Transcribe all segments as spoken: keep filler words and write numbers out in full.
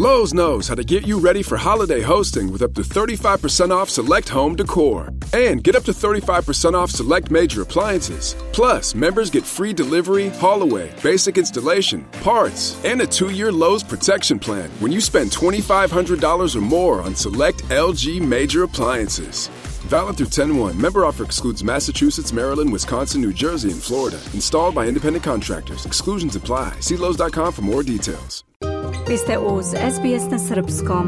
Lowe's knows how to get you ready for holiday hosting with up to thirty-five percent off select home decor. And get up to thirty-five percent off select major appliances. Plus, members get free delivery, haul away, basic installation, parts, and a two-year Lowe's protection plan when you spend twenty-five hundred dollars or more on select L G major appliances. Valid through ten one. Member offer excludes Massachusetts, Maryland, Wisconsin, New Jersey, and Florida. Installed by independent contractors. Exclusions apply. See Lowe's dot com for more details. Vi ste uz S B S na srpskom.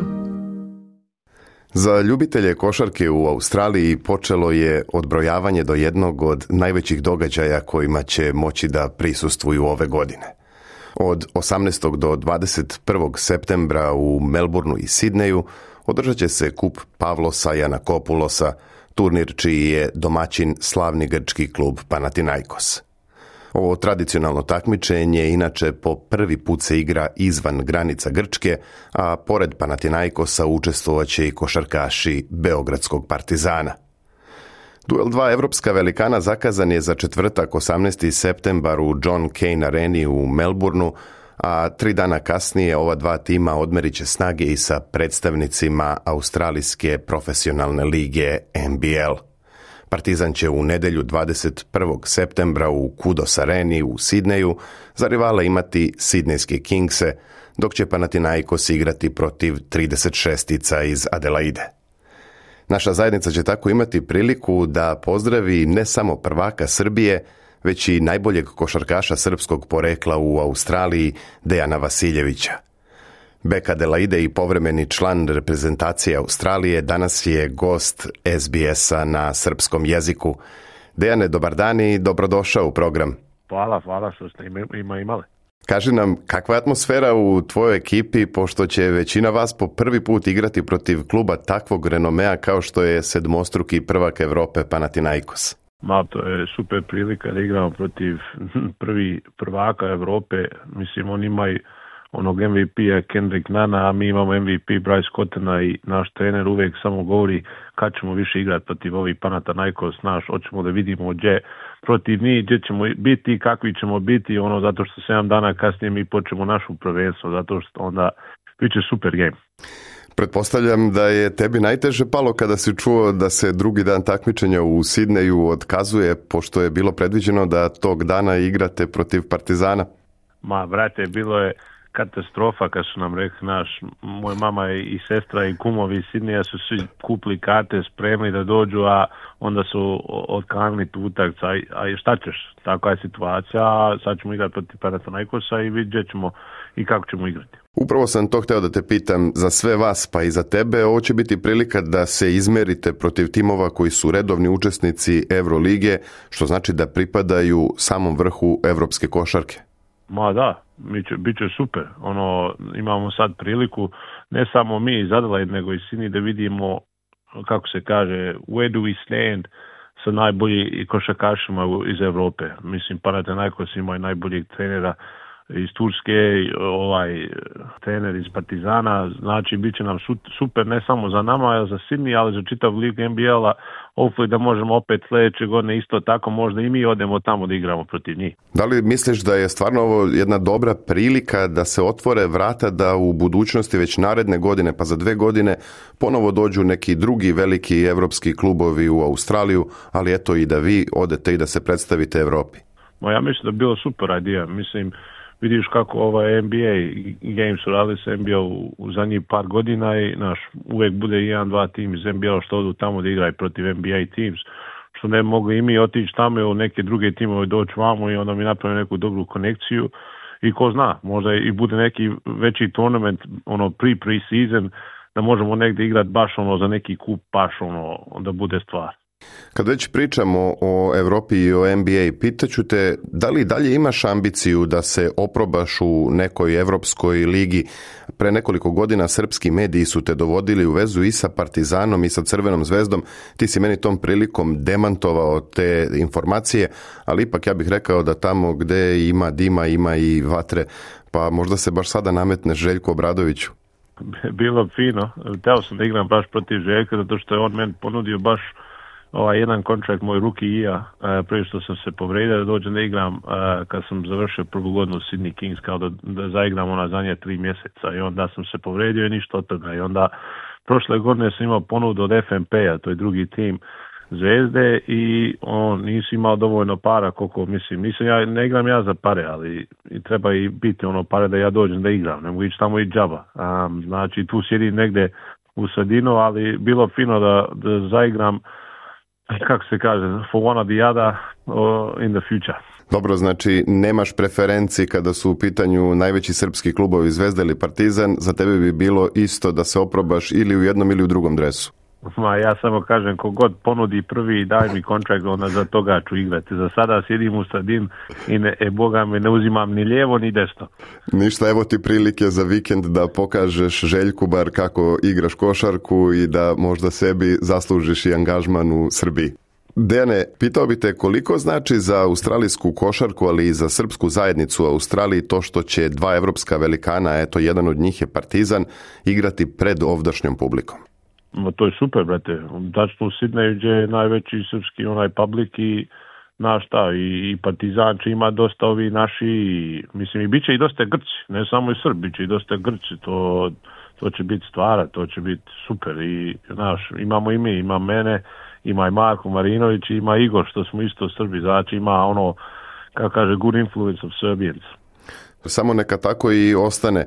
Za ljubitelje košarke u Australiji počelo je odbrojavanje do jednog od najvećih događaja kojima će moći da prisustvuju ove godine. Od osamnaestog do dvadeset prvog septembra u Melbourneu i Sidneju održat će se kup Pavlosa Janakopoulosa, turnir čiji je domaćin slavni grčki klub Panathinaikos. Ovo tradicionalno takmičenje inače po prvi put se igra izvan granica Grčke, a pored Panathinaikosa učestvovaće i košarkaši Beogradskog Partizana. Duel dva evropska velikana zakazan je za četvrtak osamnaesti septembar u John Cain Areni u Melbourneu, a tri dana kasnije ova dva tima odmerit će snage i sa predstavnicima Australijske profesionalne lige N B L. Partizan će u nedjelju dvadeset prvog septembra u Kudos Areni u Sidneju za rivale imati Sidnejske Kingse, dok će Panathinaikos igrati protiv trideset šestica iz Adelaide. Naša zajednica će tako imati priliku da pozdravi ne samo prvaka Srbije, već i najboljeg košarkaša srpskog porekla u Australiji, Dejana Vasiljevića. Bek Adelaide i povremeni član reprezentacije Australije danas je gost S B S-a na srpskom jeziku. Dejane, dobar dan i dobrodošao u program. Hvala, hvala što ste ima imali. Kaži nam, kakva je atmosfera u tvojoj ekipi, pošto će većina vas po prvi put igrati protiv kluba takvog renomea kao što je sedmostruki prvak Evrope Panathinaikos? Ma, to je super prilika da igramo protiv prvi prvaka Evrope. Mislim, oni imaju onog M V P-a Kendrick Nana, a mi imamo M V P Bryce Cottona i naš trener uvijek samo govori kad ćemo više igrati protiv ovih Panathinaikos, naš, hoćemo da vidimo gdje protiv njih, gdje ćemo biti i kakvi ćemo biti, ono, zato što sedam dana kasnije mi počnemo našu prvenstvo, zato što onda bit će super game. Pretpostavljam da je tebi najteže palo kada si čuo da se drugi dan takmičenja u Sidneju otkazuje, pošto je bilo predviđeno da tog dana igrate protiv Partizana. Ma, brate, bilo je katastrofa kad su nam rekli, naš, moj mama i sestra i kumovi iz Sidneja su svi kupili karte, spremni da dođu, a onda su otkanili tu utakmicu. A šta ćeš? Takva je situacija, a sad ćemo igrati protiv Panathinaikosa i vidjet ćemo i kako ćemo igrati. Upravo sam to hteo da te pitam, za sve vas pa i za tebe, ovo će biti prilika da se izmerite protiv timova koji su redovni učesnici Evrolige, što znači da pripadaju samom vrhu evropske košarke. Ma da, bit će super. Ono, imamo sad priliku, ne samo mi iz Adelaide, nego i Sydney, da vidimo, kako se kaže, where do we stand sa najboljim košarkašima iz Evrope. Mislim, Panathinaikos ima i najboljeg trenera iz Turske, ovaj trener iz Partizana, znači bit će nam super ne samo za nama, ali za Sydney, ali za čitav lig N B L-a, hopefully da možemo opet sljedeće godine isto tako, možda i mi odemo tamo da igramo protiv njih. Da li misliš da je stvarno ovo jedna dobra prilika da se otvore vrata da u budućnosti već naredne godine, pa za dve godine, ponovo dođu neki drugi veliki evropski klubovi u Australiju, ali eto i da vi odete i da se predstavite Evropi? Ma ja mislim da bi bilo super idea, mislim, vidiš kako ovaj N B A games su radili sa N B A u, u zadnjih par godina i naš, uvijek bude jedan, dva tim iz N B A što odu tamo da igraju protiv N B A teams, što ne mogu i mi otići tamo ili neke druge timove doći vamo i onda mi napravimo neku dobru konekciju i ko zna, možda i bude neki veći tournament, ono pre-pre-season, da možemo negdje igrati baš ono za neki kup, baš ono da bude stvar. Kad već pričamo o Evropi i o N B A, pitaću te, da li dalje imaš ambiciju da se oprobaš u nekoj evropskoj ligi? Pre nekoliko godina srpski mediji su te dovodili u vezu i sa Partizanom i sa Crvenom zvezdom. Ti si meni tom prilikom demantovao te informacije, ali ipak ja bih rekao da tamo gde ima dima ima i vatre, pa možda se baš sada nametne Željko Obradoviću. Bilo fino, teo sam da igram baš protiv Željka, zato što je on meni ponudio baš ovaj jedan kontrakt moj ruki i ja, uh, prije što sam se povredio da dođem da igram uh, kad sam završio prvu godinu Sydney Kings, kao da, da zaigram ona zadnje tri mjeseca i onda sam se povredio i ništa od toga i onda prošle godine sam imao ponudu od F M P-a, to je drugi tim Zvezde i on nisi imao dovoljno para koliko mislim, nisam ja, ne igram ja za pare, ali i treba i biti ono pare da ja dođem da igram, ne mogu ići tamo i džaba, um, znači tu sjedim negdje u sredinu, ali bilo fino da, da zaigram, kako se kaže, for one or the other or in the future. Dobro, znači nemaš preferenciji kada su u pitanju najveći srpski klubovi Zvezda ili Partizan, za tebe bi bilo isto da se oprobaš ili u jednom ili u drugom dresu? Ma ja samo kažem, kogod ponudi prvi i daj mi kontrakt, onda za toga ću igrati. Za sada sjedim u sredin i ne, e, Boga me ne uzimam ni lijevo ni desno. Ništa, evo ti prilike za vikend da pokažeš Željku bar kako igraš košarku i da možda sebi zaslužiš i angažman u Srbiji. Dejane, pitao bi te koliko znači za australijsku košarku, ali i za srpsku zajednicu u Australiji to što će dva evropska velikana, eto jedan od njih je Partizan, igrati pred ovdašnjom publikom? Ma to je super, brate. Tačno u Sidneju gdje je najveći srpski onaj publik i naš šta, i, i Partizan će ima dosta ovi naši, i, mislim i bit će i dosta Grci, ne samo i Srbi, bit će i dosta Grci, to, to će biti stvara, to će biti super i naš, imamo i mi, ima mene, ima i Marko Marinović, ima Igor, što smo isto Srbi, znači ima ono, kako kaže, good influence of Serbians. Samo neka tako i ostane.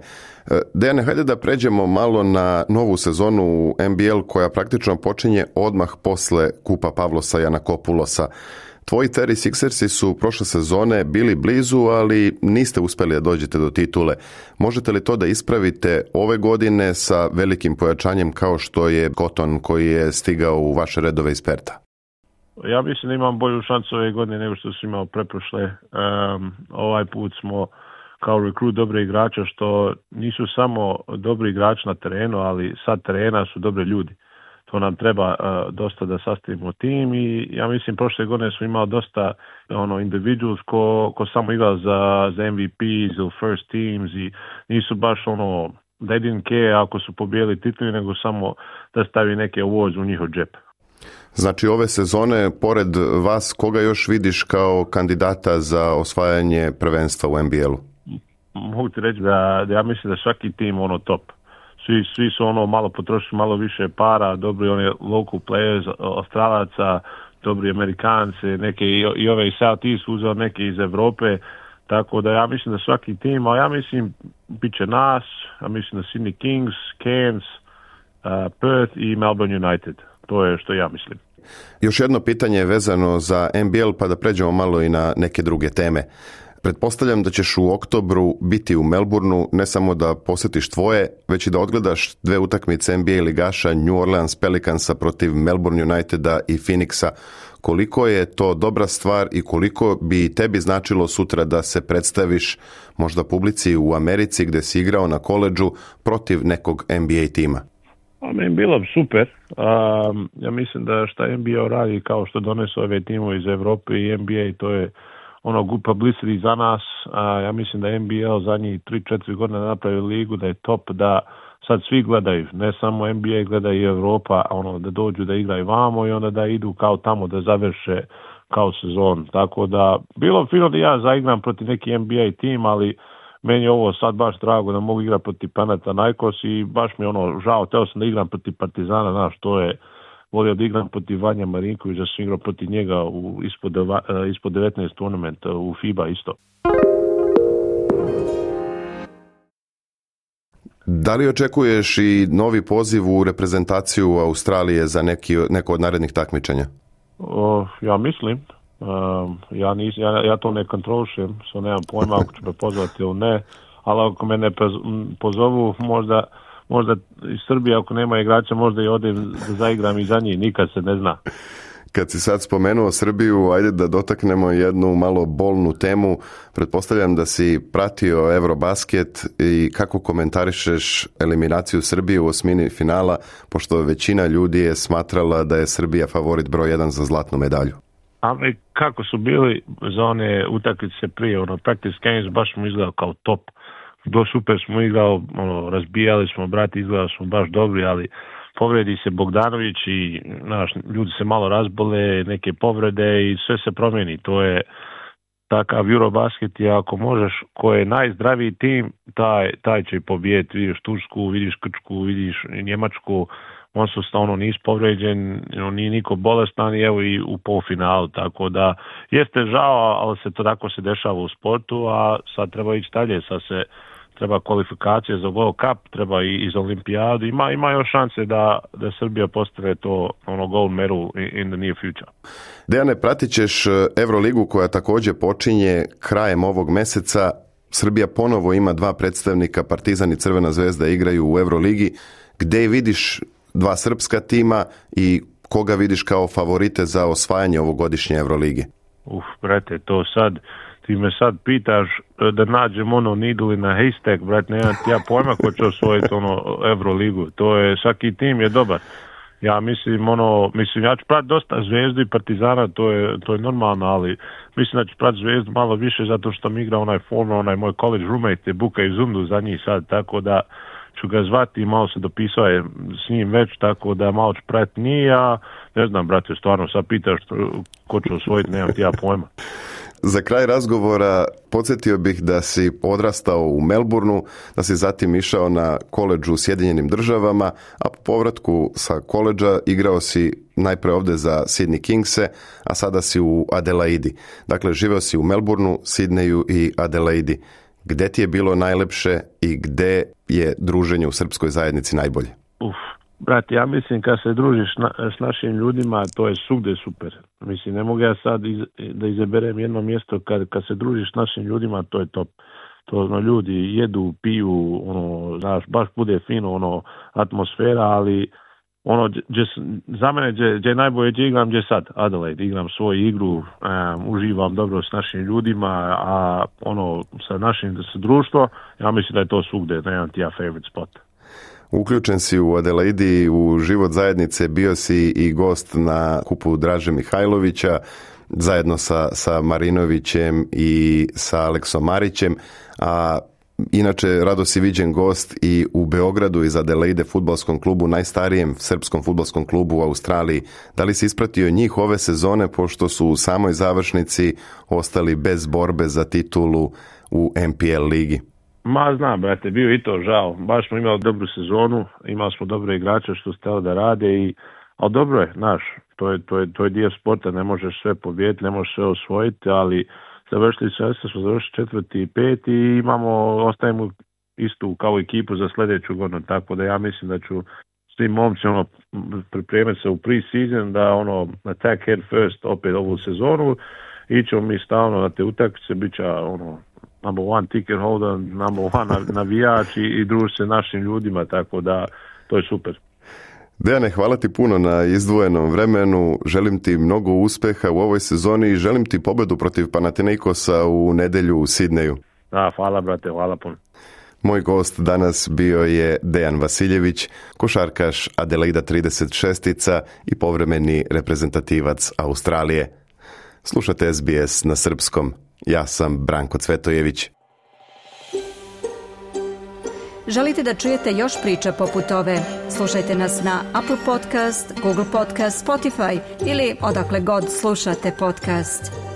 Dejane, hajde da pređemo malo na novu sezonu u N B L koja praktično počinje odmah posle kupa Pavlosa Janakopulosa. Tvoji seventy-sixersi su prošle sezone bili blizu, ali niste uspjeli da dođete do titule. Možete li to da ispravite ove godine sa velikim pojačanjem kao što je Cotton koji je stigao u vaše redove iz Perta? Ja mislim da imam bolju šansu ove godine nego što sam imao preprošle. Um, ovaj put smo kao rekrut dobre igrača, što nisu samo dobri igrači na terenu, ali sad terena su dobre ljudi. To nam treba uh, dosta da sastavimo tim i ja mislim prošle godine smo imali dosta ono individuals ko, ko samo igrao za, za M V Ps ili first teams i nisu baš ono, they didn't care ako su pobijeli tituli, nego samo da stavi neke awards u njihov džep. Znači ove sezone, pored vas, koga još vidiš kao kandidata za osvajanje prvenstva u N B L-u? Mogu ti reći da, da ja mislim da svaki tim ono top. Svi, svi su ono malo potrošili malo više para, dobri oni local players, Australaca, dobri Amerikanci, neke i, i ove iz South East uzeo neke iz Evrope, tako da ja mislim da svaki tim, a ja mislim bit će nas, ja mislim da Sydney Kings, Cairns, uh, Perth i Melbourne United. To je što ja mislim. Još jedno pitanje je vezano za N B L, pa da pređemo malo i na neke druge teme. Pretpostavljam da ćeš u oktobru biti u Melbourneu, ne samo da posjetiš tvoje, već i da odgledaš dve utakmice N B A ligaša New Orleans Pelicansa protiv Melbourne Uniteda i Phoenixa. Koliko je to dobra stvar i koliko bi tebi značilo sutra da se predstaviš možda publici u Americi gdje si igrao na koledžu protiv nekog N B A tima? A meni bilo super. Um, ja mislim da šta N B A radi kao što donesu ove timove iz Evrope i N B A, to je ono good publicity za nas. A, ja mislim da N B A zadnjih tri četiri godine napravi ligu, da je top, da sad svi gledaju, ne samo N B A, gleda i Europa, ono, da dođu da igraju vamo i onda da idu kao tamo da završe kao sezon. Tako da, bilo fino da ja zaigram protiv neki N B A tim, ali meni je ovo sad baš drago da mogu igrati protiv Panathinaikos i baš mi je ono žao, teo sam da igram protiv Partizana, znaš, to je, volio da igram protiv Vanja Marinkovića, da sam igrao protiv njega u, ispod, deva, ispod devetnaest turnamenta u FIBA isto. Da li očekuješ i novi poziv u reprezentaciju Australije za neki, neko od narednih takmičenja? O, ja mislim. Um, ja, nis, ja, ja to ne kontrolišem, so nemam pojma ako ću me pozvati ili ne, ali ako me ne pozovu, možda, možda iz Srbije, ako nema igrača, možda i odem da zaigram i za njih, nikad se ne zna. Kad si sad spomenuo Srbiju, ajde da dotaknemo jednu malo bolnu temu. Pretpostavljam da si pratio Eurobasket i kako komentarišeš eliminaciju Srbije u osmini finala, pošto većina ljudi je smatrala da je Srbija favorit broj jedan za zlatnu medalju. Ali kako su bili za one utakmice prije, ono, practice games, baš smo izgledali kao top. Do super smo igrali, ono, razbijali smo, brati, izgledali smo baš dobri, ali povredi se Bogdanović i naš, ljudi se malo razbole, neke povrede i sve se promijeni. To je takav Eurobasket i ako možeš, ko je najzdraviji tim, taj, taj će pobijediti. Vidiš Tursku, vidiš Grčku, vidiš Njemačku, on su ono nisu povređen, nije niko bolestan i evo i u polufinalu, tako da jeste žao, ali se to tako se dešava u sportu, a sad treba ići dalje, sad se treba kvalifikacije za World Cup, treba i iz Olimpijadu, ima, ima još šanse da, da Srbija postane to ono gold medal in the near future. Dejane, pratit ćeš Euroligu koja također počinje krajem ovog mjeseca. Srbija ponovo ima dva predstavnika, Partizan i Crvena zvezda igraju u Euroligi. Gdje vidiš dva srpska tima i koga vidiš kao favorite za osvajanje ovogodišnje Euroligi? Uf, brate, to sad, ti me sad pitaš da nađem ono needle na haystack, brate, nemam ti ja pojma ko će osvojiti ono Euroligu. To je, svaki tim je dobar. Ja mislim, ono, mislim, ja ću pratiti dosta Zvezdu i Partizana, to je, to je normalno, ali mislim da ću pratiti Zvezdu malo više zato što mi igra onaj former, onaj moj college roommate, Buka i Zundu za njih sad, tako da ću ga zvati i malo se dopisao je s njim već, tako da malo ću pratiti nije, a ne znam, brate, stvarno sad pitaš ko će osvojiti, nemam ti ja pojma. Za kraj razgovora podsjetio bih da si odrastao u Melbourneu, da si zatim išao na koledžu u Sjedinjenim državama, a po povratku sa koledža igrao si najprije ovdje za Sydney Kingse, a sada si u Adelaidi. Dakle, živeo si u Melbourneu, Sydneyu i Adelaidi. Gde ti je bilo najlepše i gde je druženje u srpskoj zajednici najbolje? Uf, brate, ja mislim kad se družiš na, s našim ljudima, to je svugde super. Mislim, ne mogu ja sad iz, da izaberem jedno mjesto, kad, kad se družiš s našim ljudima, to je top. To ono, ljudi jedu, piju, ono, znaš, baš bude fino, ono, atmosfera, ali ono, dje, za mene gdje, gdje najbolje gdje igram, gdje sad, Adelaide, igram svoju igru, um, uživam dobro s našim ljudima, a ono, sa našim sa društvo, ja mislim da je to svugde, nemam ti ja favorite spot. Uključen si u Adelaidi, u život zajednice, bio si i gost na kupu Draže Mihajlovića, zajedno sa, sa Marinovićem i sa Aleksom Marićem, a inače rado si viđen gost i u Beogradu iz Adelaide fudbalskom klubu, najstarijem srpskom fudbalskom klubu u Australiji. Da li si ispratio njih ove sezone, pošto su u samoj završnici ostali bez borbe za titulu u N P L ligi? Ma znam, brate, bio i to žao. Baš smo imali dobru sezonu, imali smo dobre igrače što su htjeli da rade, i, ali dobro je, znaš, to je, to je, to je dio sporta, ne možeš sve pobijediti, ne možeš sve osvojiti, ali završili sve, smo završili četvrti i peti i imamo, ostajemo istu kao ekipu za sljedeću godinu, tako da ja mislim da ću s tim momcima ono, pripremiti se u pre-season, da ono, attack head first opet ovu sezonu, ićemo mi stalno na te utakmice, bit će ono, number one ticket holder, number one navijač i, i druži se našim ljudima, tako da to je super. Dejane, hvala ti puno na izdvojenom vremenu, želim ti mnogo uspjeha u ovoj sezoni i želim ti pobedu protiv Panathinaikosa u nedjelju u Sidneju. Da, hvala brate, hvala puno. Moj gost danas bio je Dejan Vasiljević, košarkaš Adelaida trideset šest i povremeni reprezentativac Australije. Slušate S B S na srpskom. Ja sam Branko Cvetojević. Želite da čujete još priča poput ove? Slušajte nas na Apple Podcast, Google Podcast, Spotify ili odakle god slušate podcast.